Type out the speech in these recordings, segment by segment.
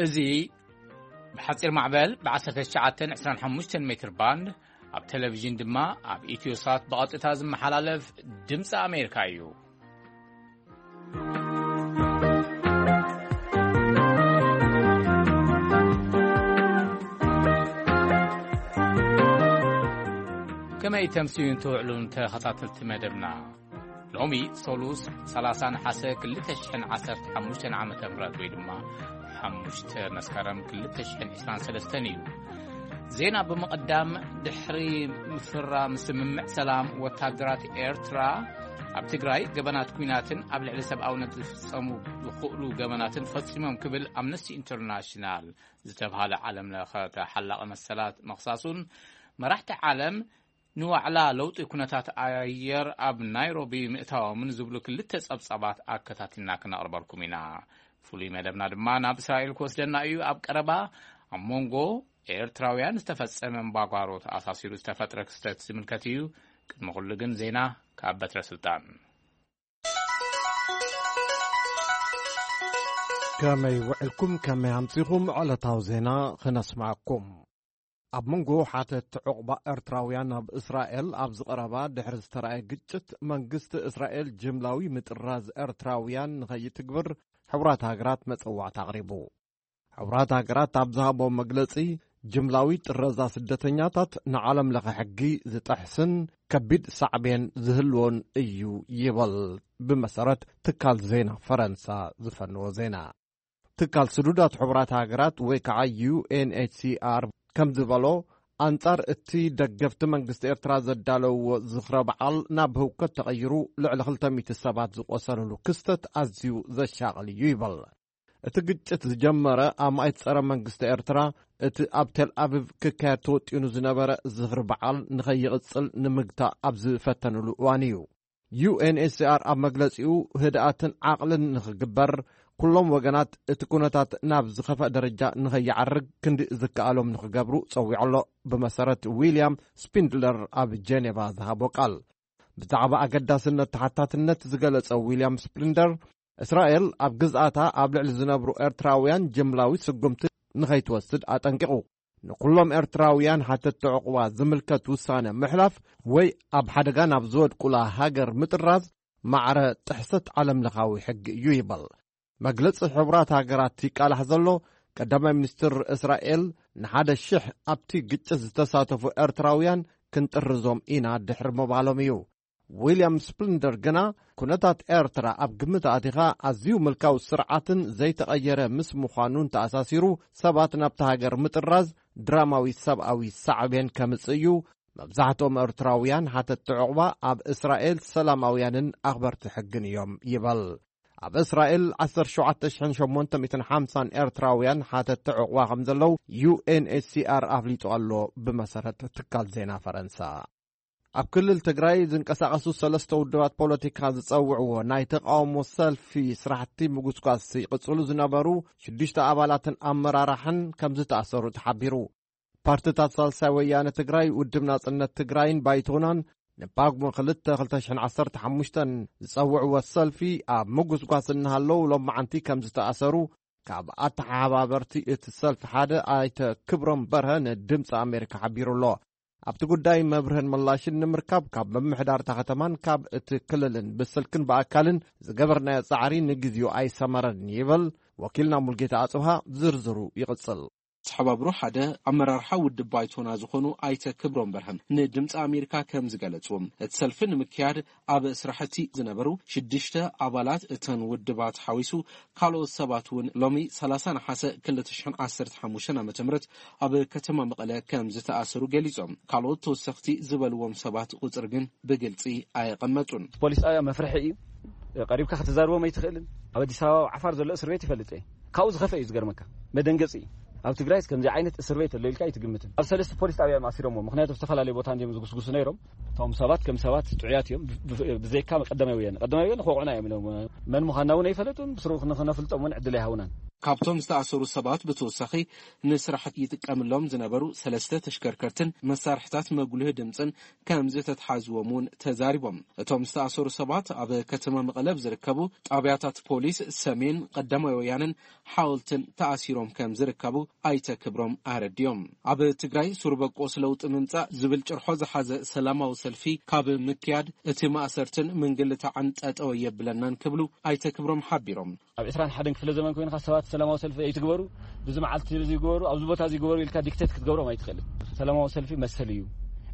እዚ ብሓጺር ማዕበል ብ19 25 ሜትር ባንድ፣ ኣብ ቴሌቪዥን ድማ ኣብ ኢትዮሳት ብቐጥታ ዝመሓላለፍ ድምፂ ኣሜሪካ እዩ። ከመይ ተምስዩን ትውዕሉን ተኸታተልቲ መደብና? ሎሚ ሰሉስ 30 ነሓሰ 2015 ዓ.ም ወይ ድማ 5 መስከረም 2023 እዩ። ዜና ብምቕዳም፣ ድሕሪ ምፍራም ስምምዕ ሰላም፣ ወታደራት ኤርትራ ኣብ ትግራይ ገበናት ኲናትን ኣብ ልዕሊ ሰብኣውነት ዝፍጸሙ ዝኽእሉ ገበናትን ፈጺሞም ክብል ኣምነስቲ ኢንተርናሽናል ዝተብሃለ ዓለም ለኸ ተሓላቒ መሰላት ምኽሳሱን፣ መራሕቲ ዓለም ንዋዕላ ለውጢ ኩነታት ኣየር ኣብ ናይሮቢ ምእታዎምን ዝብሉ ክልተ ጸብጻባት ኣከታቲልና ክነቕርበልኩም ኢና። ፍሉይ መደብና ድማ ናብ እስራኤል ክወስደና እዩ። ኣብ ቀረባ ኣብ መንጎ ኤርትራውያን ዝተፈጸመ እምባጓሮ ተኣሳሲሩ ዝተፈጥረ ክስተት ዝምልከት እዩ። ቅድሚ ኩሉ ግን ዜና ካብ በትረ ስልጣን። ከመይ ውዕልኩም፣ ከመይ ኣምጺኹም? ዕለታዊ ዜና ክነስማዕኩም። ኣብ መንጎ ሓተት ዕቑባ ኤርትራውያን ኣብ እስራኤል ኣብ ዝቐረባ ድሕሪ ዝተራእየ ግጭት፣ መንግስቲ እስራኤል ጅምላዊ ምጥራዝ ኤርትራውያን ንኸይትግብር ሕቡራት ሃገራት መጸዋዕታ ኣቕሪቡ። ሕቡራት ሃገራት ኣብ ዝሃቦ መግለጺ፣ ጅምላዊ ጥረዛ ስደተኛታት ንዓለም ለኸ ሕጊ ዝጠሕስን ከቢድ ሳዕቤን ዝህልዎን እዩ ይበል። ብመሰረት ትካል ዜና ፈረንሳ ዝፈነዎ ዜና፣ ትካል ስዱዳት ሕቡራት ሃገራት ወይ ከዓ ዩ ኤን ኤች ሲ ኣር ከም ዝበሎ፣ ኣንጻር እቲ ደገፍቲ መንግስቲ ኤርትራ ዘዳለውዎ ዝኽረ በዓል ናብ ህውከት ተቐይሩ፣ ልዕሊ 200 ሰባት ዝቆሰልሉ ክስተት ኣዝዩ ዘሻቕል እዩ ይበል። እቲ ግጭት ዝጀመረ ኣማኢት ጸረ መንግስቲ ኤርትራ፣ እቲ ኣብ ቴል ኣቪቭ ክካየድ ተወጢኑ ዝነበረ ዝኽሪ በዓል ንኸይቕጽል ንምግታእ ኣብ ዝፈተንሉ እዋን እዩ። ዩ ኤን ኤች ሲ ኣር ኣብ መግለጺኡ፣ ህድኣትን ዓቕልን ንኽግበር፣ ኩሎም ወገናት እቲ ኩነታት ናብ ዝኸፍአ ደረጃ ንኸይዓርግ ክንዲ ዝከኣሎም ንኽገብሩ ጸዊዑ ኣሎ። ብመሰረት ዊልያም ስፒንድለር ኣብ ጀኔቫ ዝሃቦ ቃል፣ ብዛዕባ ኣገዳስነት ተሓታትነት ዝገለጸ ዊልያም ስፕሊንደር፣ እስራኤል ኣብ ግዝኣታ ኣብ ልዕሊ ዝነብሩ ኤርትራውያን ጅምላዊ ስጉምቲ ንኸይትወስድ ኣጠንቂቑ። ንኩሎም ኤርትራውያን ሓተትቲ ዕቑባ ዝምልከት ውሳነ ምሕላፍ ወይ ኣብ ሓደጋ ናብ ዝወድቁላ ሃገር ምጥራዝ ማዕረ ጥሕሰት ዓለምለኻዊ ሕጊ እዩ ይበል። መግለጺ ሕቡራት ሃገራት ይቃላሕ ዘሎ ቀዳማይ ሚኒስትር እስራኤል፣ ንሓደ ሽሕ ኣብቲ ግጭት ዝተሳተፉ ኤርትራውያን ክንጥርዞም ኢና ድሕሪ ምባሎም እዩ። ዊልያም ስፕሊንደር ግና፣ ኩነታት ኤርትራ ኣብ ግምት ኣቲኻ፣ ኣዝዩ ምልካዊ ስርዓትን ዘይተቐየረ ምስ ምዃኑን ተኣሳሲሩ፣ ሰባት ናብቲ ሃገር ምጥራዝ ድራማዊ ሰብኣዊ ሳዕቤን ከምጽእ እዩ። መብዛሕትኦም ኤርትራውያን ሓተትቲ ዕቑባ ኣብ እስራኤል ሰላማውያንን ኣኽበርቲ ሕግን እዮም ይበል። ኣብ እስራኤል 17,850 ኤርትራውያን ሓተትቲ ዕቑባ ከም ዘለዉ ዩ ኤን ኤች ሲ ኣር ኣፍሊጡ ኣሎ፣ ብመሰረት ትካል ዜና ፈረንሳ። ኣብ ክልል ትግራይ ዝንቀሳቐሱ ሰለስተ ውድባት ፖለቲካ ዝጸውዕዎ ናይ ተቃውሞ ሰልፊ ስራሕቲ ምጉስጓስ ይቕጽሉ ዝነበሩ ሽዱሽተ ኣባላትን ኣመራርሓን ከም ዝተኣሰሩ ተሓቢሩ። ፓርትታት ሳልሳይ ወያነ ትግራይ፣ ውድብ ናጽነት ትግራይን ባይቶናን ንጳጉሜ 2 2015 ዝጸውዕዎ ሰልፊ ኣብ ምጉስጓስ እናሃለዉ ሎማዓንቲ ከም ዝተኣሰሩ ካብ ኣተሓባበርቲ እቲ ሰልፊ ሓደ ኣይተ ክብሮም በርሀ ንድምፂ ኣሜሪካ ሓቢሩ ኣሎ። ኣብቲ ጉዳይ መብርህን ምላሽን ንምርካብ ካብ ምምሕዳር እታ ከተማን ካብ እቲ ክልልን ብስልክን ብኣካልን ዝገበርናዮ ጻዕሪ ንግዜኡ ኣይሰመረን ይብል። ወኪልና ሙልጌታ ኣጽብሃ ዝርዝሩ ይቕጽል። ተሓባብሮ ሓደ ኣመራርሓ ውድብ ባይቶና ዝኾኑ ኣይተ ክብሮም በርሀም ንድምፂ ኣሜሪካ ከም ዝገለጹ፣ እቲ ሰልፊ ንምክያድ ኣብ ስራሕቲ ዝነበሩ ሽዱሽተ ኣባላት እተን ውድባት ሓዊሱ ካልኦት ሰባት እውን ሎሚ 30 ነሓሰ 2015 ዓ.ም ኣብ ከተማ መቐለ ከም ዝተኣሰሩ ገሊጾም። ካልኦት ተወሰኽቲ ዝበልዎም ሰባት ቁጽሪ ግን ብግልጺ ኣየቐመጡን። ፖሊስ ጣብያ መፍርሒ እዩ። ቀሪብካ ክትዛርቦም ኣይትኽእልን። ኣብ ኣዲስ ኣበባ ዓፋር ዘሎ እስር ቤት ይፈልጥ እየ። ካብኡ ዝኸፍአ እዩ ዝገርመካ። መደንገፂ እዩ። ኣብ ትግራይስ ከምዚ ዓይነት እስር ቤት ኣሎ ኢልካ ኣይትግምትን። ኣብ ሰለስተ ፖሊስ ጣብያ እዮም ኣሲሮምዎ። ምኽንያቱ ኣብ ዝተፈላለየ ቦታ እንዲዮም ዝጉስጉሱ ነይሮም። እቶም ሰባት ከም ሰባት ጥዑያት እዮም። ብ-፣ ብ-፣ ብዘይካ ቀዳማይ ወያነ። ቀዳማይ ወያነ ክወቕዑና እዮም ኢሎም። መን ምዃንና እውን ኣይፈለጡን። ብስሩ ክን-፣ ክነፍልጦም እውን ዕድል ኣይሃቡናን። ካብቶም ዝተኣሰሩ ሰባት ብተወሳኺ ንስራሕ ይጥቀምሎም ዝነበሩ ሰለስተ ተሽከርከርትን መሳርሕታት መጉልህ ድምፅን ከም ዝተትሓዝዎም እውን ተዛሪቦም። እቶም ዝተኣሰሩ ሰባት ኣብ ከተማ መቐለ ኣብ ዝርከቡ ጣብያታት ፖሊስ ሰሜን፣ ቀዳማይ ወያነን ሓወልትን ተኣሲሮም ከም ዝርከቡ ኣይተ ክብሮም ኣረዲዮም። ኣብ ትግራይ ሱር በቆስ ለውጢ ምምፃእ ዝብል ጭርሖ ዝሓዘ ሰላማዊ ሰልፊ ካብ ምክያድ እቲ ማእሰርትን ምንግልታዕን ጠጠው የብለናን ክብሉ ኣይተ ክብሮም ሓቢሮም። ኣብ ዕስራን ሓደን ክፍለ ዘመን ኮይንካ ሰባት ሰላማዊ ሰልፊ ኣይትግበሩ፣ ብዚ መዓልቲ እዚ ግበሩ፣ ኣብዚ ቦታ እዚ ግበሩ ኢልካ ዲክቴት ክትገብሮም ኣይትኽእልን። ሰላማዊ ሰልፊ መሰል እዩ።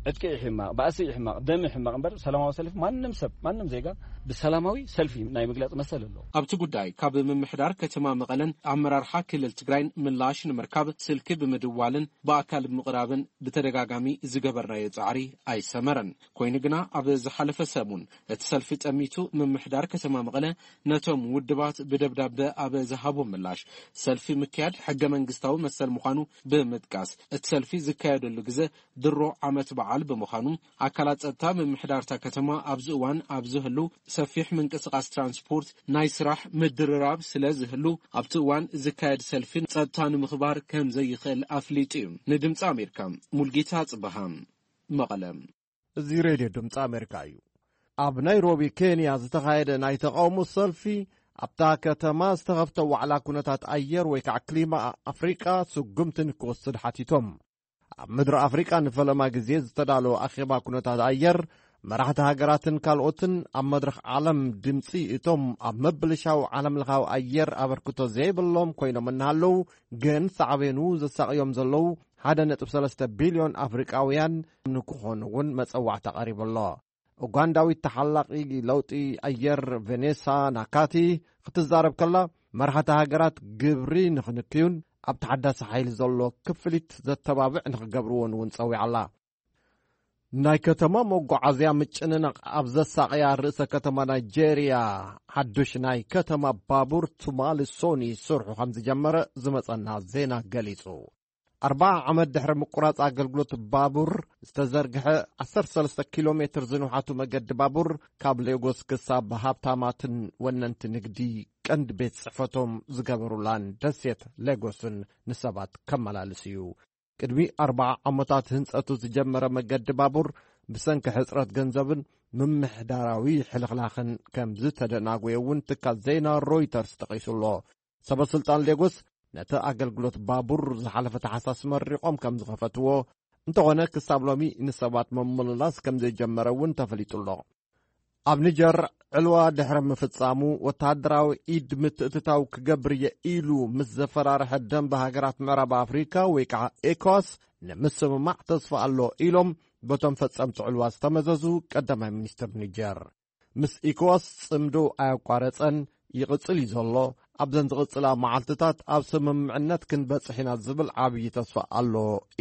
ዕጥቂ ይሕማቕ፣ ባእሲ ይሕማቕ፣ ደም ይሕማቕ እምበር ሰላማዊ ሰልፊ ማንም ሰብ፣ ማንም ዜጋ ብሰላማዊ ሰልፊ ናይ ምግላጽ መሰል ኣለዎ። ኣብቲ ጉዳይ ካብ ምምሕዳር ከተማ መቐለን ኣመራርሓ ክልል ትግራይን ምላሽ ንምርካብ ስልኪ ብምድዋልን ብኣካል ብምቕራብን ብተደጋጋሚ ዝገበርናዮ ጻዕሪ ኣይሰመረን። ኮይኑ ግና ኣብ ዝሓለፈ ሰሙን እቲ ሰልፊ ጠሚቱ ምምሕዳር ከተማ መቐለ ነቶም ውድባት ብደብዳበ ኣብ ዝሃቦ ምላሽ ሰልፊ ምክያድ ሕገ መንግስታዊ መሰል ምዃኑ ብምጥቃስ እቲ ሰልፊ ዝካየደሉ ግዜ ድሮ ዓመት በዓል ብምዃኑ ኣካላት ጸጥታ ምምሕዳርታ ከተማ ኣብዚ እዋን ኣብ ዝህሉ ሰፊሕ ምንቅስቃስ ትራንስፖርት ናይ ስራሕ ምድርራብ ስለ ዝህሉ ኣብቲ እዋን ዝካየድ ሰልፊ ጸጥታ ንምኽባር ከም ዘይኽእል ኣፍሊጡ እዩ። ንድምፂ ኣሜሪካ ሙልጌታ ጽበሃ መቐለ። እዚ ሬድዮ ድምፂ ኣሜሪካ እዩ። ኣብ ናይሮቢ ኬንያ ዝተኻየደ ናይ ተቃውሞ ሰልፊ ኣብታ ከተማ ዝተኸፍተ ዋዕላ ኩነታት ኣየር ወይ ከዓ ክሊማ ኣፍሪቃ ስጉምቲ ንክወስድ ሓቲቶም። ኣብ ምድሪ ኣፍሪቃ ንፈለማ ግዜ ዝተዳለወ ኣኼባ ኩነታት ኣየር መራሕቲ ሃገራትን ካልኦትን ኣብ መድረኽ ዓለም ድምፂ እቶም ኣብ ምብልሻው ዓለም ለኻዊ ኣየር ኣበርክቶ ዘይብሎም ኮይኖም እናሃለዉ ግን ሳዕቤኑ ዘሳቕዮም ዘለዉ ሓደ ነጥቢ ሰለስተ ቢልዮን ኣፍሪቃውያን ንክኾኑ እውን መጸዋዕታ ቀሪቡ ኣሎ። ኡጋንዳዊት ተሓላቒ ለውጢ ኣየር ቬኔሳ ናካቲ ክትዛረብ ከላ መራሕቲ ሃገራት ግብሪ ንክንክዩን ኣብ ተሓዳሲ ሓይሊ ዘሎ ክፍሊት ዘተባብዕ ንክገብርዎን እውን ጸዊዓ ኣላ። ናይ ከተማ መጓዓዝያ ምጭንናቕ ኣብ ዘሳቕያ ርእሰ ከተማ ናይጄርያ ሓዱሽ ናይ ከተማ ባቡር ቱማሊ ሶኒ ስርሑ ከም ዝጀመረ ዝመጸና ዜና ገሊጹ። ኣርባዓ ዓመት ድሕሪ ምቁራጽ ኣገልግሎት ባቡር ዝተዘርግሐ ዓሰርተ ሰለስተ ኪሎ ሜትር ዝንውሓቱ መገዲ ባቡር ካብ ሌጎስ ክሳብ ሃብታማትን ወነንቲ ንግዲ ቀንዲ ቤት ጽሕፈቶም ዝገበሩላን ደሴት ሌጎስን ንሰባት ከመላልስ እዩ። ቅድሚ ኣርባዓ ዓመታት ህንጸቱ ዝጀመረ መገዲ ባቡር ብሰንኪ ሕጽረት ገንዘብን ምምሕዳራዊ ሕልኽላኽን ከም ዝተደናጎየ እውን ትካል ዜና ሮይተርስ ጠቒሱ ኣሎ። ሰበ ስልጣን ሌጎስ ነቲ ኣገልግሎት ባቡር ዝሓለፈ ታሕሳስ መሪቖም ከም ዝኸፈትዎ እንተኾነ ክሳብ ሎሚ ንሰባት መመልላስ ከም ዘይጀመረ እውን ተፈሊጡ ኣሎ። ኣብ ኒጀር ዕልዋ ድሕሪ ምፍጻሙ ወተሃደራዊ ኢድ ምትእትታው ክገብር እየ ኢሉ ምስ ዘፈራርሐ ደንበ ሃገራት ምዕራብ ኣፍሪካ ወይ ከዓ ኤኮዋስ ንምስምማዕ ተስፋ ኣሎ ኢሎም በቶም ፈጸምቲ ዕልዋ ዝተመዘዙ ቀዳማይ ሚኒስትር ኒጀር። ምስ ኢኮዋስ ጽምዶ ኣየቋረጸን ይቕጽል እዩ ዘሎ። ኣብዘን ዝቕጽላ መዓልትታት ኣብ ስምምዕነት ክንበጽሕ ኢና ዝብል ዓብዪ ተስፋ ኣሎ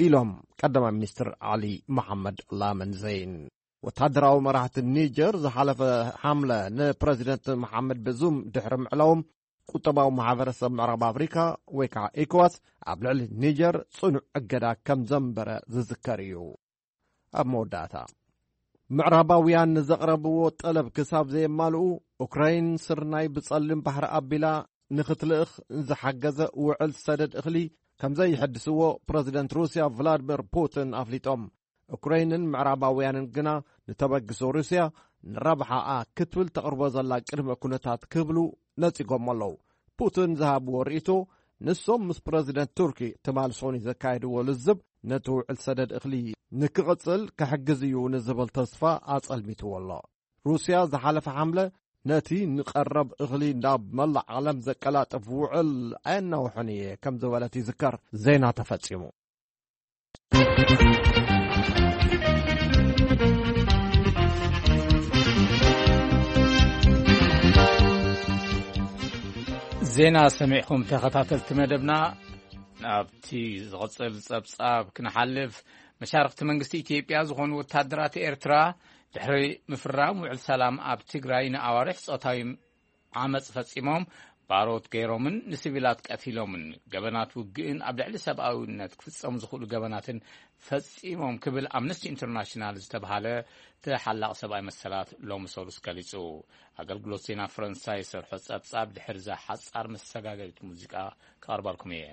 ኢሎም ቀዳማይ ሚኒስትር ዓሊ መሓመድ ላመን ዘይን። ወታደራዊ መራሕቲ ኒጀር ዝሓለፈ ሓምለ ንፕረዚደንት መሓመድ በዙም ድሕሪ ምዕላዎም ቁጠባዊ ማሕበረሰብ ምዕራብ ኣፍሪካ ወይ ከዓ ኢኮዋስ ኣብ ልዕሊ ኒጀር ጽኑዕ እገዳ ከም ዘንበረ ዝዝከር እዩ። ኣብ መወዳእታ ምዕራባውያን ንዘቕረብዎ ጠለብ ክሳብ ዘየማልኡ ኡክራይን ስርናይ ብጸሊም ባሕሪ ኣቢላ ንክትልእኽ ዝሓገዘ ውዕል ሰደድ እኽሊ ከም ዘይሕድስዎ ፕረዚደንት ሩስያ ቭላድሚር ፑቲን ኣፍሊጦም። ኡክራይንን ምዕራባውያንን ግና ንተበግሶ ሩስያ ንረብሓኣ ክትብል ተቕርቦ ዘላ ቅድመ ኩነታት ክብሉ ነጺጎሞ ኣለዉ። ፑቲን ዝሃብዎ ርእይቶ ንሶም ምስ ፕረዚደንት ቱርኪ ትማል ሶኒ ዘካየድዎ ልዝብ ነቲ ውዕል ሰደድ እኽሊ ንክቕጽል ክሕግዝ እዩ ንዝብል ተስፋ ኣጸልሚትዎ ኣሎ። ሩስያ ዝሓለፈ ሓምለ ነቲ ንቐረብ እኽሊ ናብ መላእ ዓለም ዘቀላጥፍ ውዕል ኣየናውሕን እየ ከም ዝበለት ይዝከር። ዜና ተፈጺሙ። ዜና ሰሚዕኹም ተኸታተልቲ መደብና። ናብቲ ዝቕጽል ጸብጻብ ክንሓልፍ፣ መሻርኽቲ መንግስቲ ኢትዮጵያ ዝኾኑ ወታደራት ኤርትራ ድሕሪ ምፍራም ውዕል ሰላም ኣብ ትግራይ ንኣዋርሕ ጾታዊ ዓመጽ ፈጺሞም ባሮት ገይሮምን ንሲቪላት ቀቲሎምን፣ ገበናት ውግእን ኣብ ልዕሊ ሰብኣዊነት ክፍጸሙ ዝኽእሉ ገበናትን ፈጺሞም ክብል ኣምነስቲ ኢንተርናሽናል ዝተብሃለ ተሓላቒ ሰብኣዊ መሰላት ሎሚ ሰሉስ ገሊጹ። ኣገልግሎት ዜና ፈረንሳይ ሰርሖ ጸብጻብ ድሕሪ እዛ ሓጻር መሰጋገሪት ሙዚቃ ክቐርበልኩም እየ።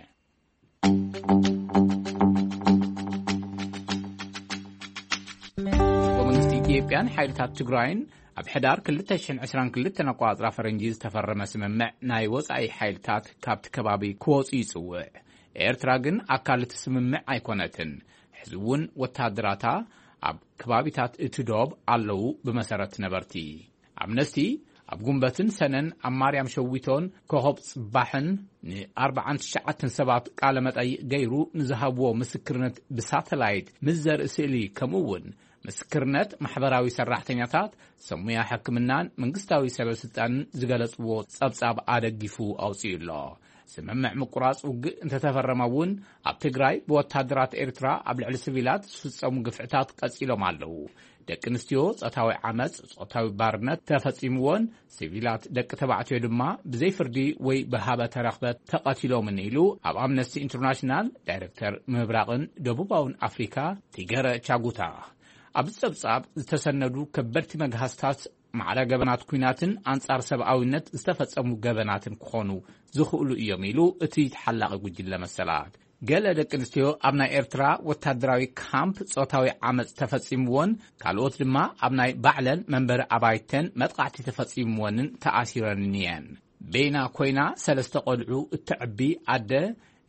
መንግስቲ ኢትዮጵያን ሓይልታት ትግራይን ኣብ ሕዳር ክልተ ሽሕን ዕስራን ክልተን ኣቋጽራ ፈረንጂ ዝተፈረመ ስምምዕ ናይ ወጻኢ ሓይልታት ካብቲ ከባቢ ክወጹ ይጽውዕ። ኤርትራ ግን ኣካል እቲ ስምምዕ ኣይኮነትን። ሕዚ እውን ወታደራታ ኣብ ከባቢታት እቲ ዶብ ኣለዉ። ብመሰረት ነበርቲ ኣምነስቲ ኣብ ጉንበትን ሰነን ኣብ ማርያም ሸዊቶን ኮኸብ ጽባሕን ንኣርባዓን ትሽዓተን ሰባት ቃለ መጠይቕ ገይሩ ንዝሃብዎ ምስክርነት ብሳተላይት ምስ ዘርኢ ስእሊ፣ ከምኡ እውን ምስክርነት ማሕበራዊ ሰራሕተኛታት፣ ሰብ ሞያ ሕክምናን መንግስታዊ ሰበ ስልጣንን ዝገለጽዎ ጸብጻብ ኣደጊፉ ኣውጺኡ ኣሎ። ስምምዕ ምቁራጽ ውግእ እንተተፈረመ እውን ኣብ ትግራይ ብወታደራት ኤርትራ ኣብ ልዕሊ ሲቪላት ዝፍጸሙ ግፍዕታት ቀጺሎም ኣለዉ። ደቂ ኣንስትዮ ጾታዊ ዓመጽ፣ ጾታዊ ባርነት ተፈጺምዎን ሲቪላት ደቂ ተባዕትዮ ድማ ብዘይ ፍርዲ ወይ ብሃበ ተረኽበ ተቐቲሎምን ኢሉ ኣብ ኣምነስቲ ኢንተርናሽናል ዳይሬክተር ምብራቕን ደቡባውን ኣፍሪካ ቲገረ ቻጉታ። ኣብዚ ጸብጻብ ዝተሰነዱ ከበድቲ መግሃስታት ማዕረ ገበናት ኲናትን ኣንጻር ሰብኣዊነት ዝተፈጸሙ ገበናትን ክኾኑ ዝኽእሉ እዮም ኢሉ እቲ ተሓላቒ ጉጅለ መሰላት። ገለ ደቂ ኣንስትዮ ኣብ ናይ ኤርትራ ወታደራዊ ካምፕ ጾታዊ ዓመጽ ተፈጺምዎን ካልኦት ድማ ኣብ ናይ ባዕለን መንበሪ ኣባይተን መጥቓዕቲ ተፈጺምወንን ተኣሲረንን እየን። ቤና ኮይና ሰለስተ ቆልዑ እተዕቢ ኣደ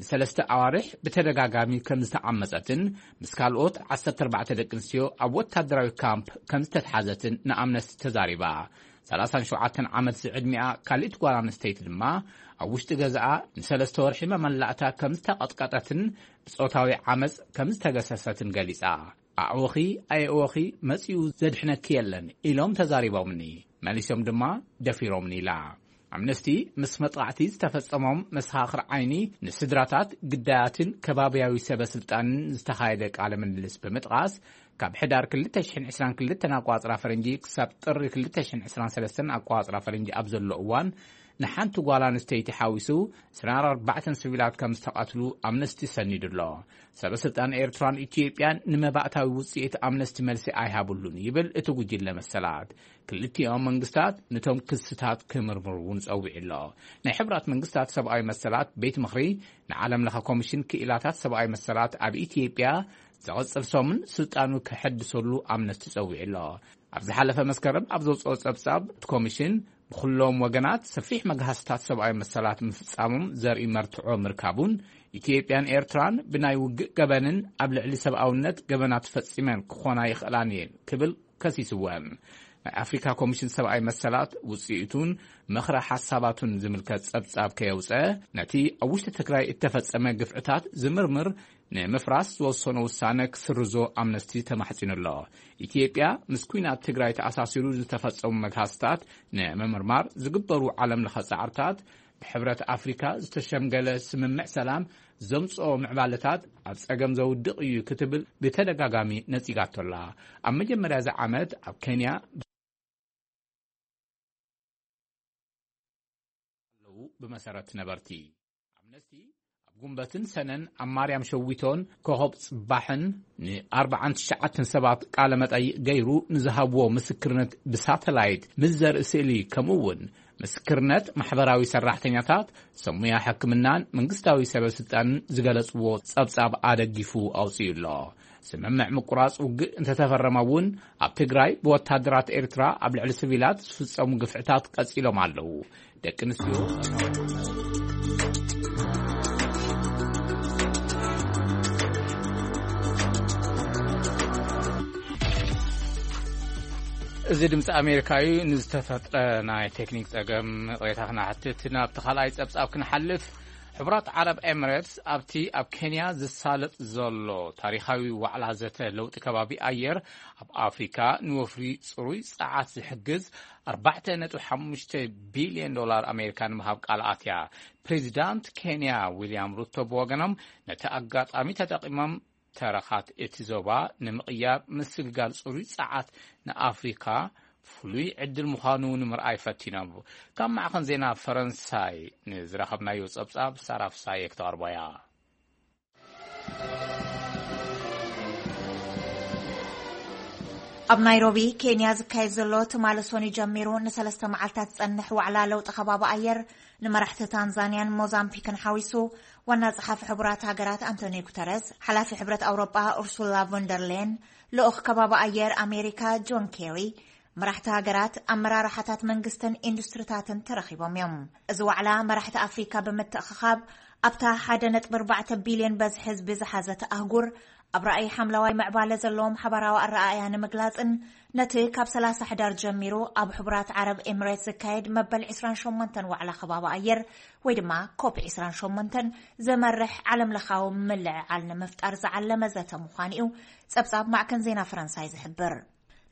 ንሰለስተ ኣዋርሕ ብተደጋጋሚ ከም ዝተዓመጸትን ምስ ካልኦት ዓሰርተ ኣርባዕተ ደቂ ኣንስትዮ ኣብ ወታደራዊ ካምፕ ከም ዝተትሓዘትን ንኣምነስቲ ተዛሪባ። ሰላሳን ሸውዓተን ዓመት ዝዕድሚኣ ካልእቲ ጓል ኣንስተይቲ ድማ ኣብ ውሽጢ ገዛኣ ንሰለስተ ወርሒ መመላእታ ከም ዝተቐጥቀጠትን ብጾታዊ ዓመጽ ከም ዝተገሰሰትን ገሊጻ። ኣዕወኺ ኣየእወኺ መጺኡ ዘድሕነኪ የለን ኢሎም ተዛሪቦምኒ፣ መሊሶም ድማ ደፊሮምኒ ኢላ። ኣምነስቲ ምስ መጥቓዕቲ ዝተፈጸሞም መሰኻኽር ዓይኒ፣ ንስድራታት ግዳያትን ከባብያዊ ሰበ ስልጣንን ዝተኻየደ ቃለ ምልልስ ብምጥቓስ፣ ካብ ሕዳር ክልተ ሽሕን ዕስራን ክልተን ኣቋጽራ ፈረንጂ ክሳብ ጥሪ ክልተ ሽሕን ዕስራን ሰለስተን ኣቋጽራ ፈረንጂ ኣብ ዘሎ እዋን ንሓንቲ ጓል ኣንስተይቲ ሓዊሱ ዕስራን ኣርባዕተን ሲቪላት ከም ዝተቐትሉ ኣምነስቲ ሰኒዱ ኣሎ። ሰበ ስልጣን ኤርትራን ኢትዮጵያን ንመባእታዊ ውጽኢት ኣምነስቲ መልሲ ኣይሃብሉን ይብል እቲ ጉጅለ መሰላት። ክልቲኦም መንግስታት ነቶም ክስታት ክምርምሩ እውን ጸዊዑ ኣሎ። ናይ ሕብራት መንግስታት ሰብኣዊ መሰላት ቤት ምኽሪ ንዓለም ለኸ ኮሚሽን ክኢላታት ሰብኣዊ መሰላት ኣብ ኢትዮጵያ ዘቐጽል ሰሙን ስልጣኑ ክሐድሰሉ ኣምነስቲ ጸዊዑ ኣሎ። ኣብ ዝሓለፈ መስከረም ኣብ ዘውፅኦ ጸብጻብ እቲ ኮሚሽን ብኩሎም ወገናት ሰፊሕ መግሃስታት ሰብኣዊ መሰላት ምፍጻሞም ዘርኢ መርትዖ ምርካቡን ኢትዮጵያን ኤርትራን ብናይ ውግእ ገበንን ኣብ ልዕሊ ሰብኣውነት ገበናት ፈጺመን ክኾና ይኽእላን እየን ክብል ከሲስወን። ናይ ኣፍሪካ ኮሚሽን ሰብኣዊ መሰላት ውፅኢቱን ምኽረ ሓሳባቱን ዝምልከት ጸብጻብ ከየውፀ፣ ነቲ ኣብ ውሽጢ ትግራይ እተፈጸመ ግፍዕታት ዝምርምር ንምፍራስ ዝወሰኖ ውሳነ ክስርዞ ኣምነስቲ ተማሕጺኑ ኣሎ። ኢትዮጵያ ምስ ኲናት ትግራይ ተኣሳሲሩ ዝተፈጸሙ መግሃስታት ንምምርማር ዝግበሩ ዓለም ለኸ ጻዕርታት፣ ብሕብረት ኣፍሪካ ዝተሸምገለ ስምምዕ ሰላም ዘምጽኦ ምዕባለታት ኣብ ጸገም ዘውድቕ እዩ ክትብል ብተደጋጋሚ ነጺጋቶ ኣላ። ኣብ መጀመርያ እዚ ዓመት ኣብ ኬንያ ኣለዉ። ብመሰረት ነበርቲ ኣምነስቲ ኣብ ጉንበትን ሰነን ኣብ ማርያም ሸዊቶን ኮኸብ ጽባሕን ንኣርባዓን ትሽዓተን ሰባት ቃለ መጠይቕ ገይሩ ንዝሃብዎ ምስክርነት ብሳተላይት ምስ ዘርኢ ስእሊ፣ ከምኡ እውን ምስክርነት ማሕበራዊ ሰራሕተኛታት፣ ሰብ ሞያ ሕክምናን መንግስታዊ ሰበ ስልጣንን ዝገለጽዎ ጸብጻብ ኣደጊፉ ኣውጺኡ ኣሎ። ስምምዕ ምቁራጽ ውግእ እንተተፈረመ እውን ኣብ ትግራይ ብወታደራት ኤርትራ ኣብ ልዕሊ ሲቪላት ዝፍጸሙ ግፍዕታት ቀጺሎም ኣለዉ። ደቂ ኣንስትዮ እዚ ድምፂ ኣሜሪካ እዩ። ንዝተፈጥረ ናይ ቴክኒክ ፀገም ቅሬታ ክነሓትት ናብቲ ካልኣይ ፀብፃብ ክንሓልፍ። ሕቡራት ዓረብ ኤምሬትስ ኣብቲ ኣብ ኬንያ ዝሳለጥ ዘሎ ታሪኻዊ ዋዕላ ዘተ ለውጢ ከባቢ ኣየር ኣብ ኣፍሪካ ንወፍሪ ፅሩይ ፀዓት ዝሕግዝ ኣርባዕተ ነጥቢ ሓሙሽተ ቢልዮን ዶላር ኣሜሪካ ንምሃብ ቃል ኣትያ። ፕሬዚዳንት ኬንያ ዊልያም ሩቶ ብወገኖም ነቲ ኣጋጣሚ ተጠቂሞም ተረኻት እቲ ዞባ ንምቕያር ምስግጋር ጽሩይ ጸዓት ንኣፍሪካ ፍሉይ ዕድል ምዃኑ ንምርኣይ ፈቲኖም። ካብ ማዕኸን ዜና ፈረንሳይ ንዝረኸብናዮ ጸብጻብ ሳራ ፍሳየ ክተቕርቦ እያ። ኣብ ናይሮቢ ኬንያ ዝካየድ ዘሎ ትማሊ ሰኑይ ጀሚሩ ንሰለስተ መዓልታት ዝጸንሕ ዋዕላ ለውጢ ከባቢ ኣየር ንመራሕቲ ታንዛንያን ሞዛምቢክን ሓዊሱ ዋና ጸሓፊ ሕቡራት ሃገራት ኣንቶኒዮ ጉተረዝ፣ ሓላፊ ሕብረት ኣውሮጳ ኡርሱላ ቮንደርሌን፣ ልኡኽ ከባቢ ኣየር ኣሜሪካ ጆን ኬሪ፣ መራሕቲ ሃገራት፣ ኣመራርሓታት መንግስትን ኢንዱስትሪታትን ተረኺቦም እዮም። እዚ ዋዕላ መራሕቲ ኣፍሪካ ብምትእኽኻብ ኣብታ ሓደ ነጥቢ ኣርባዕተ ቢልዮን በዝሒ ህዝቢ ዝሓዘት ኣህጉር ኣብ ራእይ ሓምለዋይ ምዕባለ ዘለዎም ሓባራዊ ኣረኣእያ ንምግላጽን ነቲ ካብ ሰላሳ ሕዳር ጀሚሩ ኣብ ሕቡራት ዓረብ ኤምሬት ዝካየድ መበል ዕስራን ሸሞንተን ዋዕላ ከባቢ ኣየር ወይ ድማ ኮፕ ዕስራን ሸሞንተን ዘመርሕ ዓለምለኻዊ ምልዕዓል ንምፍጣር ዝዓለመ ዘተ ምዃኑ እዩ ጸብጻብ ማዕከን ዜና ፈረንሳይ ዝሕብር።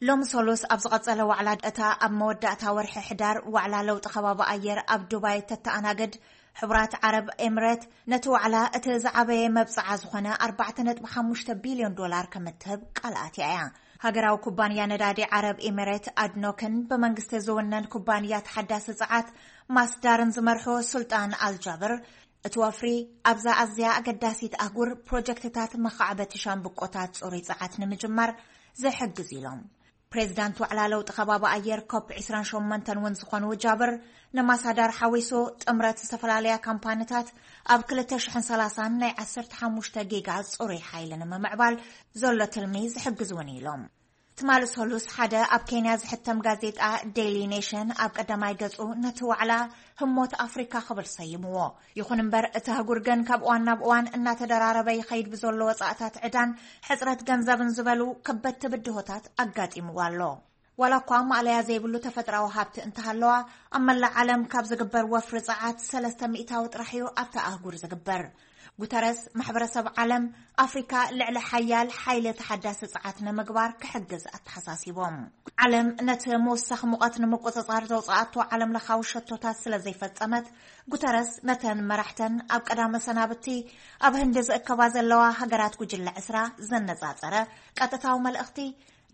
ሎም ሶሉስ ኣብ ዝቐጸለ ዋዕላ እታ ኣብ መወዳእታ ወርሒ ሕዳር ዋዕላ ለውጢ ከባቢ ኣየር ኣብ ዱባይ ተተኣናገድ ሕቡራት ዓረብ ኤምሬት ነቲ ዋዕላ እቲ ዝዓበየ መብጽዓ ዝኾነ ኣርባዕተ ነጥቢ ሓሙሽተ ቢልዮን ዶላር ከም እትህብ ቃል ኣትያ እያ። ሃገራዊ ኩባንያ ነዳዲ ዓረብ ኤምሬት ኣድኖክን ብመንግስቲ ዝውነን ኩባንያ ተሓዳሲ ጸዓት ማስዳርን ዝመርሑ ሱልጣን ኣልጃብር እቲ ወፍሪ ኣብዛ ኣዝያ ኣገዳሲት ኣህጉር ፕሮጀክትታት መኻዕበቲ ሻምብቆታት ጽሩይ ጸዓት ንምጅማር ዝሕግዝ ኢሎም። ፕሬዚዳንት ዋዕላ ለውጢ ከባቢ ኣየር ኮፕ ዕስራን ሸሞንተን እውን ዝኾኑ ጃብር ንማሳዳር ሓዊሱ ጥምረት ዝተፈላለያ ካምፓኒታት ኣብ ክልተ ሽሕን ሰላሳን ናይ ዓሰርተ ሓሙሽተ ጊጋ ጽሩይ ሓይሊ ንምምዕባል ዘሎ ትልሚ ዝሕግዝ እውን ኢሎም። ትማሊ ሰሉስ ሓደ ኣብ ኬንያ ዝሕተም ጋዜጣ ዴይሊ ኔሽን ኣብ ቀዳማይ ገጹ ነቲ ዋዕላ ህሞት ኣፍሪካ ክብል ሰይምዎ። ይኹን እምበር እቲ ኣህጉር ግን ካብ እዋን ናብ እዋን እናተደራረበ ይኸይድ ብዘሎ ወጻእታት ዕዳን ሕጽረት ገንዘብን ዝበሉ ከበድቲ ብድሆታት ኣጋጢምዎ ኣሎ። ዋላ እኳ ማእለያ ዘይብሉ ተፈጥራዊ ሃብቲ እንተሃለዋ ኣብ መላእ ዓለም ካብ ዝግበር ወፍሪ ጸዓት ሰለስተ ሚእታዊ ጥራሕ እዩ ኣብታ ኣህጉር ዝግበር። ጉተረስ ማሕበረሰብ ዓለም ኣፍሪካ ልዕሊ ሓያል ሓይሊ ተሓዳሲ ጸዓት ንምግባር ክሕግዝ ኣተሓሳሲቦም። ዓለም ነቲ ምውሳኽ ሙቐት ንምቁጽጻር ዘውፅኣቶ ዓለም ለኻዊ ሸቶታት ስለ ዘይፈጸመት ጉተረስ ነተን መራሕተን ኣብ ቀዳመ ሰናብቲ ኣብ ህንዲ ዝእከባ ዘለዋ ሃገራት ጉጅለ ዕስራ ዘነጻጸረ ቀጥታዊ መልእኽቲ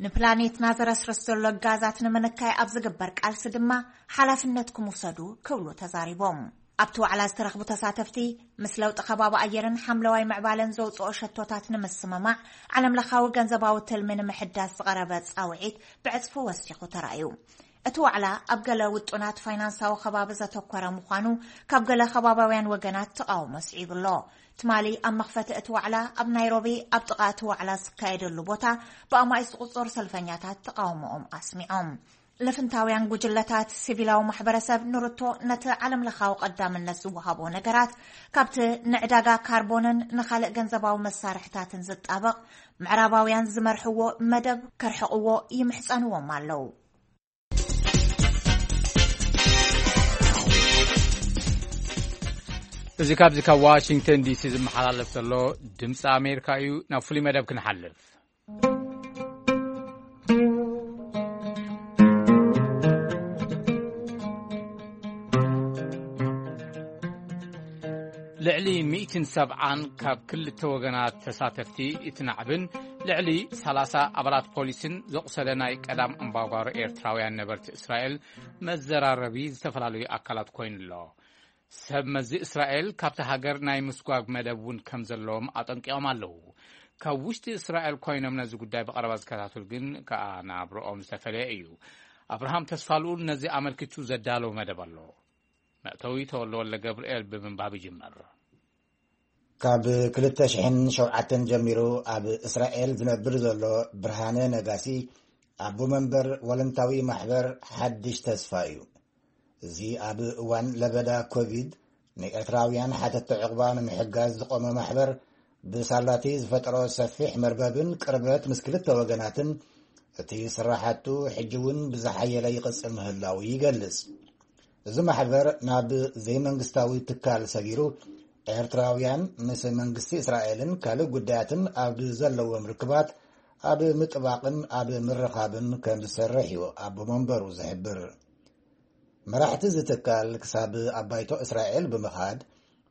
ንፕላኔትና ዘረስርስ ዘሎ ጋዛት ንምንካይ ኣብ ዝግበር ቃልሲ ድማ ሓላፍነትኩም ውሰዱ ክብሉ ተዛሪቦም። ኣብቲ ዋዕላ ዝተረኽቡ ተሳተፍቲ ምስ ለውጢ ከባቢ ኣየርን ሓምለዋይ ምዕባለን ዘውፅኦ ሸቶታት ንምስምማዕ ዓለም ለኻዊ ገንዘባዊ ትልሚ ንምሕዳስ ዝቐረበ ፃውዒት ብዕፅፊ ወሲኹ ተራእዩ። እቲ ዋዕላ ኣብ ገለ ውጡናት ፋይናንሳዊ ከባቢ ዘተኮረ ምዃኑ ካብ ገለ ከባባውያን ወገናት ተቓውሞ ስዒቡ ኣሎ። ትማሊ ኣብ መኽፈቲ እቲ ዋዕላ ኣብ ናይሮቢ ኣብ ጥቓ እቲ ዋዕላ ዝካየደሉ ቦታ ብኣማኢት ዝቑጸሩ ሰልፈኛታት ተቓውሞኦም ኣስሚዖም። ልፍንታውያን ጉጅለታት ሲቪላዊ ማሕበረሰብ ንሩቶ ነቲ ዓለም ለኻዊ ቀዳምነት ዝወሃቦ ነገራት ካብቲ ንዕዳጋ ካርቦንን ንኻልእ ገንዘባዊ መሳርሕታትን ዝጣበቕ ምዕራባውያን ዝመርሕዎ መደብ ከርሕቕዎ ይምሕጸንዎም ኣለዉ። እዚ ካብዚ ካብ ዋሽንግተን ዲሲ ዝመሓላለፍ ዘሎ ድምፂ ኣሜሪካ እዩ። ናብ ፍሉይ መደብ ክንሓልፍ። ልዕሊ ሚእትን ሰብዓን ካብ ክልተ ወገናት ተሳተፍቲ እቲ ናዕብን ልዕሊ ሰላሳ ኣባላት ፖሊስን ዘቑሰለ ናይ ቀዳም ኣምባጓሮ ኤርትራውያን ነበርቲ እስራኤል መዘራረቢ ዝተፈላለዩ ኣካላት ኮይኑ ኣሎ። ሰብ መዚ እስራኤል ካብቲ ሃገር ናይ ምስጓግ መደብ እውን ከም ዘለዎም ኣጠንቂቖም ኣለዉ። ካብ ውሽጢ እስራኤል ኮይኖም ነዚ ጉዳይ ብቐረባ ዝከታተሉ ግን ከኣ ናብርኦም ዝተፈለየ እዩ። ኣብርሃም ተስፋልኡል ነዚ ኣመልኪቱ ዘዳለወ መደብ ኣሎ። መእተዊ ተወልደ ወልደ ገብርኤል ብምንባብ ይጅመር። ካብ ክልተ ሽሕን ሸውዓተን ጀሚሩ ኣብ እስራኤል ዝነብር ዘሎ ብርሃነ ነጋሲ ኣቦ መንበር ወለንታዊ ማሕበር ሓድሽ ተስፋ እዩ። እዚ ኣብ እዋን ለበዳ ኮቪድ ንኤርትራውያን ሓተቲ ዕቑባ ንምሕጋዝ ዝቖመ ማሕበር ብሳላቲ ዝፈጠሮ ሰፊሕ መርበብን ቅርበት ምስ ክልተ ወገናትን እቲ ስራሓቱ ሕጂ እውን ብዝሓየለ ይቕጽል ምህላዉ ይገልጽ። እዚ ማሕበር ናብ ዘይመንግስታዊ ትካል ሰጊሩ ኤርትራውያን ምስ መንግስቲ እስራኤልን ካልእ ጉዳያትን ኣብ ዘለዎም ርክባት ኣብ ምጥባቕን ኣብ ምርኻብን ከም ዝሰርሕ እዩ ኣቦ መንበሩ ዝሕብር። መራሕቲ እዚ ትካል ክሳብ ኣብ ባይቶ እስራኤል ብምኻድ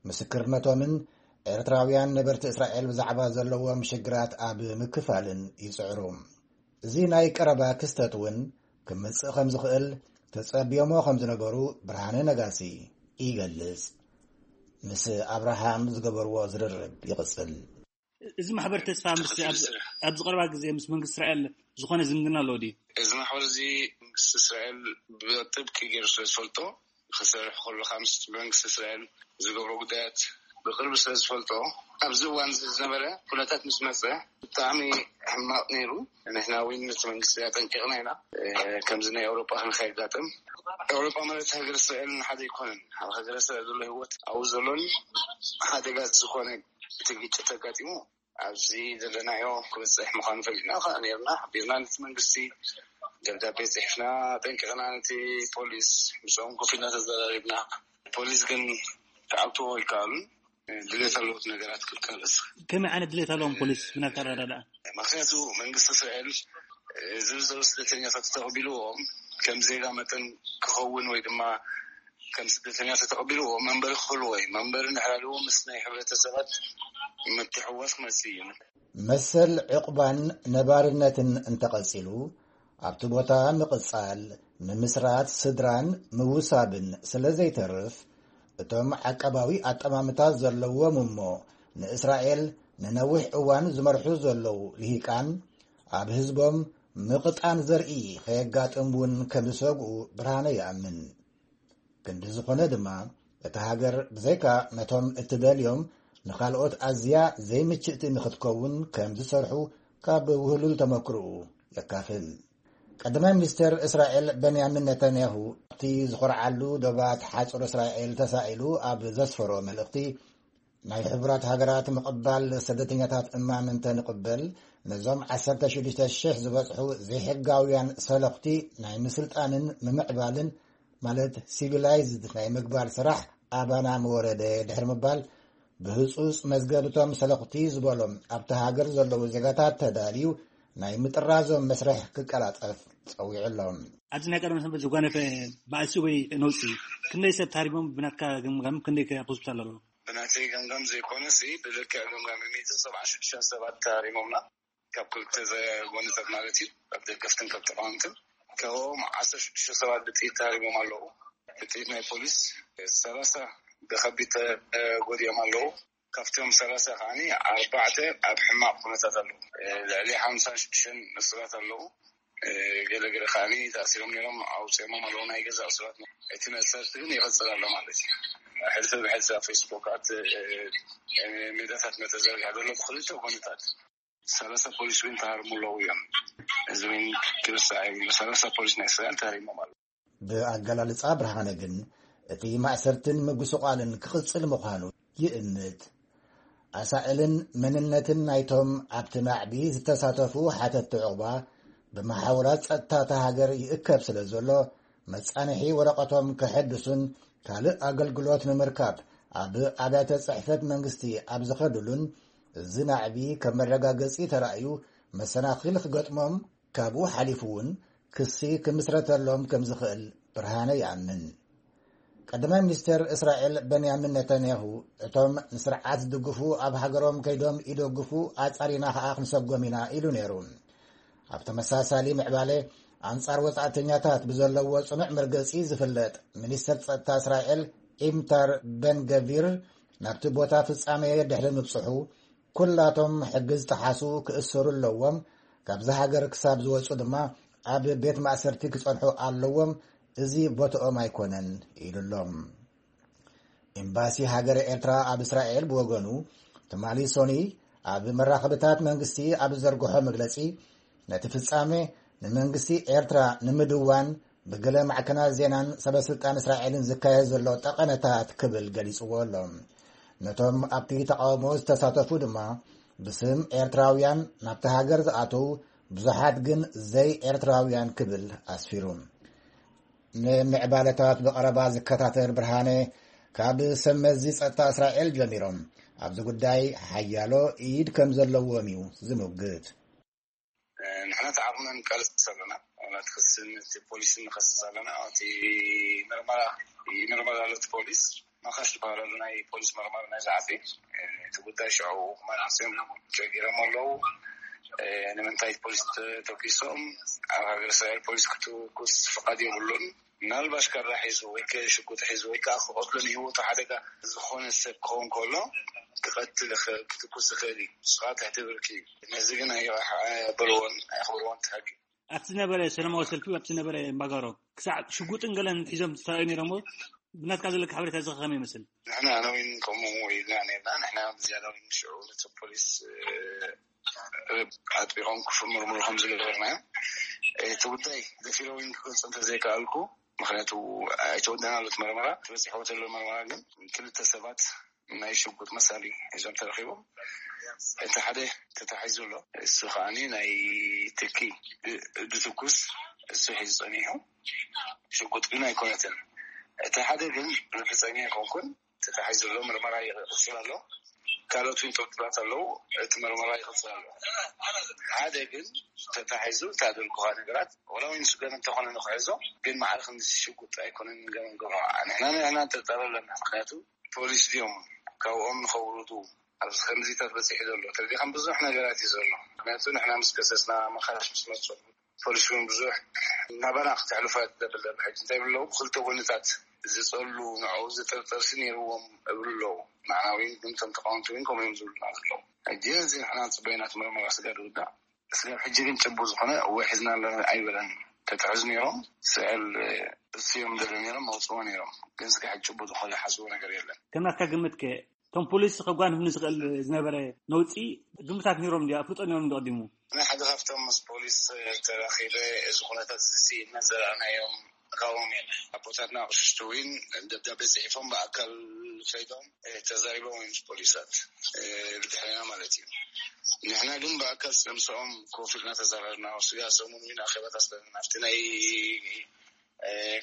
ምስክርነቶምን ኤርትራውያን ነበርቲ እስራኤል ብዛዕባ ዘለዎም ሽግራት ኣብ ምክፋልን ይጽዕሩ። እዚ ናይ ቀረባ ክስተት እውን ክምጽእ ከም ዝኽእል ተጸብዮሞ ከም ዝነበሩ ብርሃነ ነጋሲ ይገልጽ። ምስ ኣብርሃም ዝገበርዎ ዝርርብ ይቕጽል። እዚ ማሕበር ተስፋ ምስ ኣብዚ ቀረባ ግዜ ምስ መንግስቲ እስራኤል ዝኾነ ዝምድና ኣለዎ ድዩ? እዚ ማሕበር እዚ መንግስቲ እስራኤል ብጥብቂ ገይሩ ስለ ዝፈልጦ፣ ክሰርሕ ከሎ ምስ መንግስቲ እስራኤል ዝገብሮ ጉዳያት ብቅርቢ ስለ ዝፈልጦ፣ ኣብዚ እዋን እዚ ዝነበረ ኩነታት ምስ መፀ ብጣዕሚ ሕማቕ ነይሩ። ንሕና እውን ነቲ መንግስቲ ኣጠንቂቕና ኢና። ከምዚ ናይ ኣውሮጳ ክንከየጋጥም፣ ኣውሮጳ ማለት ሃገር እስራኤል ሓደ ኣይኮነን። ኣብ ሃገር እስራኤል ዘሎ ህይወት ኣብኡ ዘሎን ሓደጋ ዝኾነ እቲ ግጭት ኣጋጢሙ ኣብዚ ዘለናዮ ክበፅሕ ምዃኑ ፈሊጥና ከዓ ነርና። ሓቢርና ነቲ መንግስቲ ደብዳቤ ፅሒፍና፣ ጠንቂቕና ነቲ ፖሊስ፣ ምስኦም ኮፍ ኢልና ተዘራሪብና። ፖሊስ ግን ክዓግትዎ ኣይከኣሉን። ድሌት ኣለዎት ነገራት ክቃለስ። ከመይ ዓይነት ድሌት ኣለዎም ፖሊስ ብናትካ ኣረዳድኣ? ምክንያቱ መንግስቲ እስራኤል እዚ ዘሎ ስደተኛታት ተቐቢልዎም ከም ዜጋ መጠን ክኸውን ወይ ድማ ከም ስደተኛ ተተቐቢልዎ መንበሪ ክህልዎ እዩ። መንበሪ እንድሕር ሃልዎ ምስ ናይ ሕብረተሰባት ምትሕውዋስ ክመጽእ እዩ። መሰል ዕቑባን ነባርነትን እንተቐጺሉ ኣብቲ ቦታ ምቕጻል፣ ምምስራት ስድራን ምውሳብን ስለ ዘይተርፍ፣ እቶም ዓቀባዊ ኣጠማምታ ዘለዎም እሞ ንእስራኤል ንነዊሕ እዋን ዝመርሑ ዘለዉ ልሂቃን ኣብ ህዝቦም ምቕጣን ዘርኢ ከየጋጥም እውን ከም ዝሰግኡ ብርሃነ ይኣምን። ክንዲ ዝኾነ ድማ፣ እታ ሃገር ብዘይካ ነቶም እትደልዮም ንኻልኦት ኣዝያ ዘይምችእቲ ንኽትከውን ከም ዝሰርሑ ካብ ውህሉል ተመክሮኡ የካፍል። ቀዳማይ ሚኒስተር እስራኤል በንያሚን ነታንያሁ ኣብቲ ዝኾርዓሉ ዶባት ሓጹር እስራኤል ተሳኢሉ ኣብ ዘስፈሮ መልእኽቲ፣ ናይ ሕቡራት ሃገራት ምቕባል ስደተኛታት እማም እንተንቕበል፣ ነዞም ዓሰርተ ሽዱሽተ ሽሕ ዝበጽሑ ዘይሕጋውያን ሰለኽቲ ናይ ምስልጣንን ምምዕባልን፣ ማለት ሲቪላይዝድ ናይ ምግባር ስራሕ ኣባና ምወረደ ድሕሪ ምባል፣ ብህጹጽ መዝገብ እቶም ሰለኽቲ ዝበሎም ኣብቲ ሃገር ዘለዉ ዜጋታት ተዳልዩ ናይ ምጥራዞም መስርሕ ክቀላጠፍ ጸዊዑ ኣሎ። ኣብዚ ናይ ቀደም ሰንበት ዝጓነፈ ባእሲ ወይ ነውጺ ክንደይ ሰብ ተሃሪሞም ብናትካ ግምጋም ክንደይ ከ ኣብ ሆስፒታል ኣለዉ? ብናተይ ገምጋም ዘይኮነሲ ብልክዕ ገምጋም ሚእትን ሰብዓን ሽዱሽተን ሰባት ተሃሪሞምና፣ ካብ ክልተ ጎንታት ማለት እዩ፣ ካብ ደገፍትን ካብ ተቃወምትን። ካብኦም ዓሰርተ ሽዱሽተ ሰባት ብጥይት ተሃሪሞም ኣለዉ። ብጥይት ናይ ፖሊስ ሰላሳ ብከቢድ ተጎዲኦም ኣለዉ። ካብቶም ሰላሳ ከዓኒ ኣርባዕተ ኣብ ሕማቕ ኩነታት ኣለዉ። ልዕሊ ሓምሳን ሽዱሽተን እሱራት ኣለዉ። ገለ ገለ ከዓኒ ተኣሲሮም ነይሮም ኣውፂኦሞም ኣለዉ ናይ ገዛ እሱራት። እቲ መእሰርቲ ግን ይቕፅል ኣሎ ማለት እዩ። ሕልፊ ብሕልፊ ኣብ ፌስቡካት ሜዳታት መተዘርግሐ ዘሎ ብክልተ ጎንታት ሰላሳ ፖሊስ እውን ተሃርሙ ኣለዉ እዮም። እዚ እውን ክርሳዕ የብሉ። ሰላሳ ፖሊስ ናይ እስራኤል ተሃሪሞም ኣለዉ። ብኣገላልጻ ብርሃነ ግን፣ እቲ ማእሰርትን ምጉስቋልን ክቕጽል ምዃኑ ይእምት። ኣሳእልን መንነትን ናይቶም ኣብቲ ናዕቢ ዝተሳተፉ ሓተትቲ ዕቑባ ብመሓውራት ጸጥታ እታ ሃገር ይእከብ ስለ ዘሎ፣ መጻንሒ ወረቐቶም ከሐድሱን ካልእ ኣገልግሎት ንምርካብ ኣብ ኣብያተ ጽሕፈት መንግስቲ ኣብ ዝኸድሉን፣ እዚ ናዕቢ ከም መረጋገጺ ተራእዩ መሰናኽል ክገጥሞም፣ ካብኡ ሓሊፉ እውን ክሲ ክምስረተሎም ከም ዝኽእል ብርሃነ ይኣምን። ቀዳማይ ሚኒስተር እስራኤል በንያሚን ነታንያሁ፣ እቶም ንስርዓት ዝድግፉ ኣብ ሃገሮም ከይዶም ይደግፉ ኣጻሪና ከኣ ክንሰጎም ኢና ኢሉ ነይሩ። ኣብ ተመሳሳሊ ምዕባለ ኣንጻር ወጻእተኛታት ብዘለዎ ጽኑዕ መርገጺ ዝፍለጥ ሚኒስተር ጸጥታ እስራኤል ኢምታር በን ገቪር ናብቲ ቦታ ፍጻሜ ድሕሪ ምብጽሑ፣ ኩላቶም ሕጊ ዝጠሓሱ ክእሰሩ ኣለዎም፣ ካብዛ ሃገር ክሳብ ዝወጹ ድማ ኣብ ቤት ማእሰርቲ ክጸንሑ ኣለዎም፣ እዚ ቦትኦም ኣይኮነን ኢሉ ኣሎ። ኤምባሲ ሃገረ ኤርትራ ኣብ እስራኤል ብወገኑ፣ ትማሊ ሶኒ ኣብ መራኸብታት መንግስቲ ኣብ ዝዘርግሖ መግለጺ፣ ነቲ ፍጻሜ ንመንግስቲ ኤርትራ ንምድዋን ብገለ ማዕከናት ዜናን ሰበስልጣን እስራኤልን ዝካየድ ዘሎ ጠቐነታት ክብል ገሊጽዎ ኣሎ። ነቶም ኣብቲ ተቓውሞ ዝተሳተፉ ድማ ብስም ኤርትራውያን ናብቲ ሃገር ዝኣተዉ ብዙሓት ግን ዘይ ኤርትራውያን ክብል ኣስፊሩ። ንምዕባለታት ብቐረባ ዝከታተል ብርሃነ፣ ካብ ሰብ መዚ ጸጥታ እስራኤል ጀሚሮም ኣብዚ ጉዳይ ሓያሎ ኢድ ከም ዘለዎም እዩ ዝምግት። ንሕና ተዓቕምና ንቃለስ ኣለና። ዋላ እቲ ክሲ ነቲ ፖሊስ ንኸስስ ኣለና። እቲ ምርመራ ይምርመር ኣሎ እቲ ፖሊስ። ማኻሽ ዝበሃል ኣሎ ናይ ፖሊስ መርማሪ ናይ ዝዓፊ። እቲ ጉዳይ ሽዑ መናእሰዮም ጀጊሮም ኣለዉ። ንምንታይ ፖሊስ ተተኪሶም? ኣብ ሃገር እስራኤል ፖሊስ ክትኩስ ፍቓድ የብሉን። ምናልባሽ ካራ ሒዙ ወይ ሽጉጥ ሒዙ ወይ ከዓ ክቐትሎ ንህይወቱ ሓደጋ ዝኾነ ሰብ ክኸውን ከሎ ክቐትል ይኽእል ክትኩስ ይኽእል እዩ። ንስኻ ትሕቲ ብርኪ እዩ። ነዚ ግን ኣይበልዎን ኣየኽብርዎን ትሕጊ። ኣብቲ ዝነበረ ሰላማዊ ሰልፊ ኣብቲ ዝነበረ እምባጋሮ ክሳዕ ሽጉጥን ገለን ሒዞም ተሳዮ ነይሮም። ብናትካ ዘለካ ሓበሬታ እዚ ከመይ ይመስል? ንሕና ነዊን ከምኡ ኢልና ነርና። ንሕና ዝያዳ ነዊን ሽዑ ነቲ ፖሊስ ኣጥቢቖም ክምርምሩ ከም ዝገበርና እቲ ጉዳይ ደፊረ እውን ክገልጾ እንተዘይከኣልኩ፣ ምክንያቱ ኣይተወደናሉ እቲ መርመራ። ተበፂሕዎ ዘሎ መርመራ ግን ክልተ ሰባት ናይ ሽጉጥ መሳሊ ሒዞም ተረኪቦም። እቲ ሓደ ተታሒዙ ኣሎ። እሱ ከዓኒ ናይ ትኪ ድትኩስ እሱ ሒዙ ፀኒሑ። ሽጉጥ ግን ኣይኮነትን። እቲ ሓደ ግን ርግፀኛ ኣይኮንኩን። ተታሒዙ ዘሎ ምርመራ ይቕፅል ኣሎ። ካልኦት እውን ጥርጥራት ኣለዉ። እቲ ምርመራ ይቕፅል ኣሎ። ሓደ ግን ተታሒዙ ታደልኩኻ ነገራት ወላ እውን ስገን እንተኾነ ንክሕዞ ግን ማዕረ ክንዲ ሽጉጥ ኣይኮነን ገመንገሞ። ንሕና ንሕና ንጥርጠር ኣለና። ምክንያቱ ፖሊስ ድዮም ካብኦም ንኸውርዱ ኣብዚ ከምዚታት በፂሑ ዘሎ ተሪዲኻም ብዙሕ ነገራት እዩ ዘሎ። ምክንያቱ ንሕና ምስ ከሰስና መኻሽ ምስ መፁ ፖሊስ እውን ብዙሕ ናባና ክተሕልፎ ደብል ዘሎ። ሕጂ እንታይ ብለው ክልተ ጎንታት ዝፀሉ ንዕኡ ዝጥርጠር ሲ ነይርዎም እብሉ ኣለዉ። ንዓና እውን ግን ከም ተቃወምቲ እውን ከምኡ እዮም ዝብሉና ዘለዉ። ሕጂ እዚ ንሕና ንፅበዮ ናቲ ምርመራ ስጋብ ዝውዳእ ስጋብ ሕጂ ግን ጭቡጥ ዝኾነ እወ ሒዝና ኣለና ኣይበለን። ተትሕዙ ነይሮም ስዕል እሱ እዮም ደለ ነይሮም መውፅዎ ነይሮም። ግን ስጋ ሕጂ ጭቡጥ ዝኾነ ዝሓስቦ ነገር የለን። ከም ናትካ ግምት ከ እቶም ፖሊስ ከጓንፍ ንዝኽእል ዝነበረ ነውፂ ግምታት ነይሮም ዲ ኣፍልጦ ነይሮም ዶ ቀዲሙ? ናይ ሓደ ካብቶም ምስ ፖሊስ ተራኺበ እዚ ኩነታት እዚ ስኢልና ዘረኣናዮም ካብኦም እዮም። ኣቦታትና ኣቕሽሽቲ እውን ደብዳቤ ፅሒፎም ብኣካል ከይዶም ተዛሪቦም እዮም ፖሊሳት ብድሕሪና ማለት እዩ። ንሕና ግን ብኣካል ምስኦም ኮፍ ኢልና ተዛረብና። ስጋ ሰሙን እውን ኣኼባታት ኣለና ኣብቲ ናይ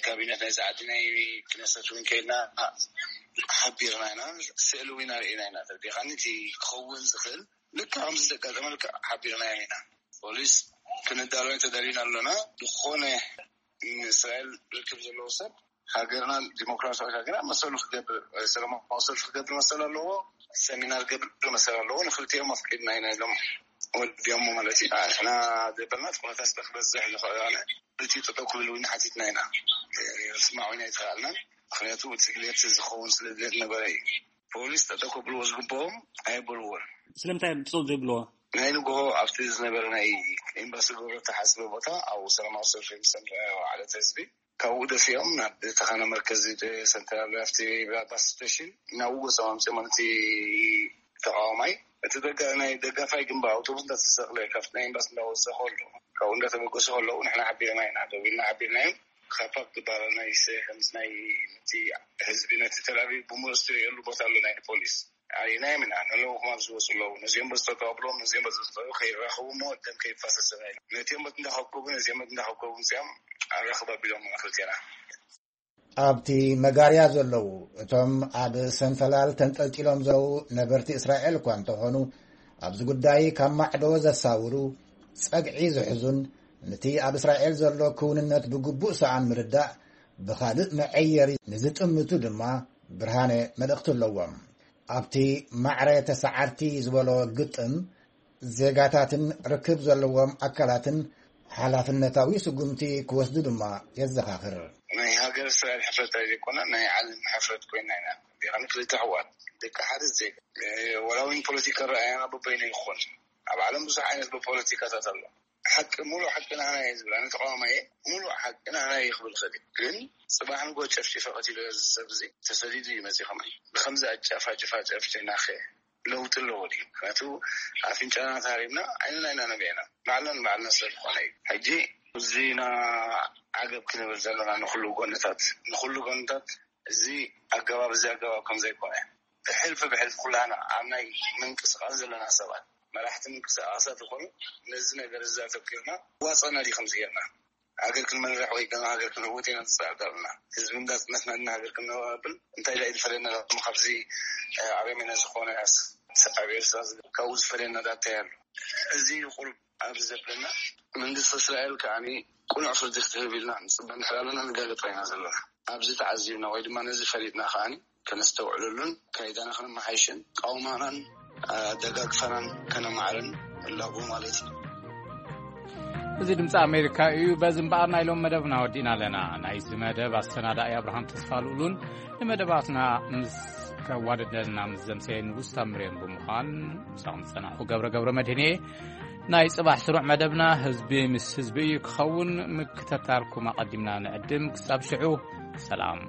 ካቢነት ናይ ዛዓዲ ናይ ክነሰት እውን ከይድና ሓቢርና ኢና። ስእሊ እውን ኣርእና ኢና። ተዲኻኒ እቲ ክኸውን ዝኽእል ልካ ከምዚ ዘጋጠመ ልካ ሓቢርና ኢና። ፖሊስ ክንዳሎ ተዳሊና ኣለና። ዝኾነ ንእስራኤል ርክብ ዘለዎ ሰብ ሃገርና ዲሞክራሲያዊ ሃገር መሰሉ ክገብር ሰለማዊ ሰልፊ ክገብር መሰል ኣለዎ። ሰሚናር ክገብር መሰል ኣለዎ። ንክልቲኦም ኣፍቂድና ኢና ኢሎም ወዲኦሞ ማለት እዩ። ንሕና ዘበልና ኩነታት ክበዝሕ ዝኽእል እቲ ጠጠው ክብል እውን ሓቲትና ኢና። ስማዕ እውን ኣይተኽኣልናን። ምክንያቱ እቲ ድሌት ዝኸውን ስለ ድሌት ነበረ እዩ። ፖሊስ ጠጠው ከብልዎ ዝግብኦም ኣየበልዎን። ስለምንታይ እዮም ጠጠው ዘይብልዎ? ናይ ንግሆ ኣብቲ ዝነበረ ናይ ኤምባሲ ገብረ ተሓስበ ቦታ ኣብኡ ሰላማዊ ሰልፊ ምስ ሰምዐ ዓለት ህዝቢ ካብኡ ደፊኦም ናብ ተኻና መርከዚ ሰንትራል ኣብቲ ባስ ስቴሽን ናብኡ ገጾም ኣምጺኦም እቲ ተቃዋማይ እቲ ደጋ ናይ ደጋፋይ ግንባር ኣውቶቡስ እንዳተሰቕለ ካብቲ ናይ ኤምባሲ እንዳወፀ ከሎ ካብኡ እንዳተበገሱ ከለዉ ንሕና ሓቢርና ኢና ደዊልና ሓቢርናዮም። ካፓክ ዝበሃል ናይ ስ- ከምዚ ናይ ነቲ ህዝቢ ነቲ ተላቪቭ ብምሉእ ዝትርእየሉ ቦታ ኣሎ ናይ ፖሊስ ኣርእናዮም ኢና። ንለውኹም ኣብ ዝወፁ ኣለዉ ነዚኦም በዝተቀብሎም ነዚኦም በዝተቀብሉ ከይራኸቡ እሞ ደም ከይፋሰሰና ኢሎም ነቲኦም በት እንዳኸብከቡ ነዚኦም በት እንዳኸብከቡ ምፅኦም ኣራኽብ ኣቢሎም ክልቴና። ኣብቲ መጋርያ ዘለዉ እቶም ኣብ ሰንፈላል ተንጠልጢሎም ዘለዉ ነበርቲ እስራኤል እኳ እንተኾኑ ኣብዚ ጉዳይ ካብ ማዕዶ ዘሳውሩ ጸግዒ ዝሕዙን ነቲ ኣብ እስራኤል ዘሎ ክውንነት ብግቡእ ሰኣን ምርዳእ ብኻልእ መዐየሪ ንዝጥምቱ ድማ ብርሃነ መልእኽቲ ኣለዎም። ኣብቲ ማዕረ ተሰዓርቲ ዝበሎ ግጥም ዜጋታትን ርክብ ዘለዎም ኣካላትን ሓላፍነታዊ ስጉምቲ ክወስዱ ድማ የዘኻኽር። ናይ ሃገር እስራኤል ሕፍረት ኣይዘይኮነ ናይ ዓለም ሕፍረት ኮይና ኢና። ቢኻኒ ክልተ ኣሕዋት ደቂ ሓደ ዜጋ ወላ እውን ፖለቲካ ረኣያና በበይኑ ይኾን ኣብ ዓለም ብዙሕ ዓይነት ብፖለቲካታት ኣሎ። ሓቂ ሙሉእ ሓቂ ናህና እየ ዝብል ኣነ ተቃዋማይ እየ። ሙሉእ ሓቂ ናህና እየ ክብል ክእል እየ። ግን ፅባሕ ንጎ ጨፍጭፈ ቀቲለ እዚ ሰብ እዚ ተሰዲዱ እዩ መፂኡ ከማይ ብከምዚ ኣጫፋጭፋ ጨፍጭናኸ ለውጢ ኣለዎ ድዩ? ምክንያቱ ኣፍንጫና ተሃሪምና ዓይንና ኢና ነቢዕና ባዕልና ንባዕልና ስለ ዝኾነ እዩ። ሕጂ እዚና ዓገብ ክንብል ዘለና ንኩሉ ጎንታት ንኩሉ ጎንታት እዚ ኣገባብ እዚ ኣገባብ ከም ዘይኮነ ብሕልፊ ብሕልፊ ኩላና ኣብ ናይ ምንቅስቃስ ዘለና ሰባት መራሕቲ ምንቅስቃሳት ይኮኑ ነዚ ነገር እዚ ኣተኪርና ዋፀና ድዩ ከምዚ ጌርና ሃገር ክንመርሕ ወይ ድማ ሃገር ክንዕውት ኢና ንፅዕር ዘለና ህዝቢ እንዳፅነትና ድና ሃገር ክንነብል እንታይ ዳ ዝፈለየና ካብዚ ኣረሜና ዝኾነ ኣብ ኤርትራ ካብኡ ዝፈለየና ዳ እንታይ ኣሎ እዚ ቁሩብ ኣብዚ ዘብለና መንግስቲ እስራኤል ከዓኒ ቁኑዕ ፍርዲ ክትህብ ኢልና ንፅበ እንድሕር ኣለና ንጋገ ጥራይ ኢና ዘለና ኣብዚ ተዓዚብና ወይ ድማ ነዚ ፈሊጥና ከዓኒ ከነስተውዕለሉን ካይዳና ከነመሓይሽን ቃውማናን ኣደጋግፋናን ከነማዕርን ኣለዎ ማለት እዩ። እዚ ድምፂ ኣሜሪካ እዩ። በዚ እምበኣር ናይ ሎም መደብና ወዲእና ኣለና። ናይዚ መደብ ኣሰናዳኢ ኣብርሃም ተስፋ ልኡሉን ንመደባትና ምስ ከዋደደልና ምስ ዘምሰየ ንጉስ ታምሬን ብምዃን ምሳኹም ዝጸናሕኩ ገብረ ገብረ መድህን እየ። ናይ ጽባሕ ስሩዕ መደብና ህዝቢ ምስ ህዝቢ እዩ ክኸውን። ምክትታልኩም ኣቐዲምና ንዕድም። ክሳብ ሽዑ ሰላም።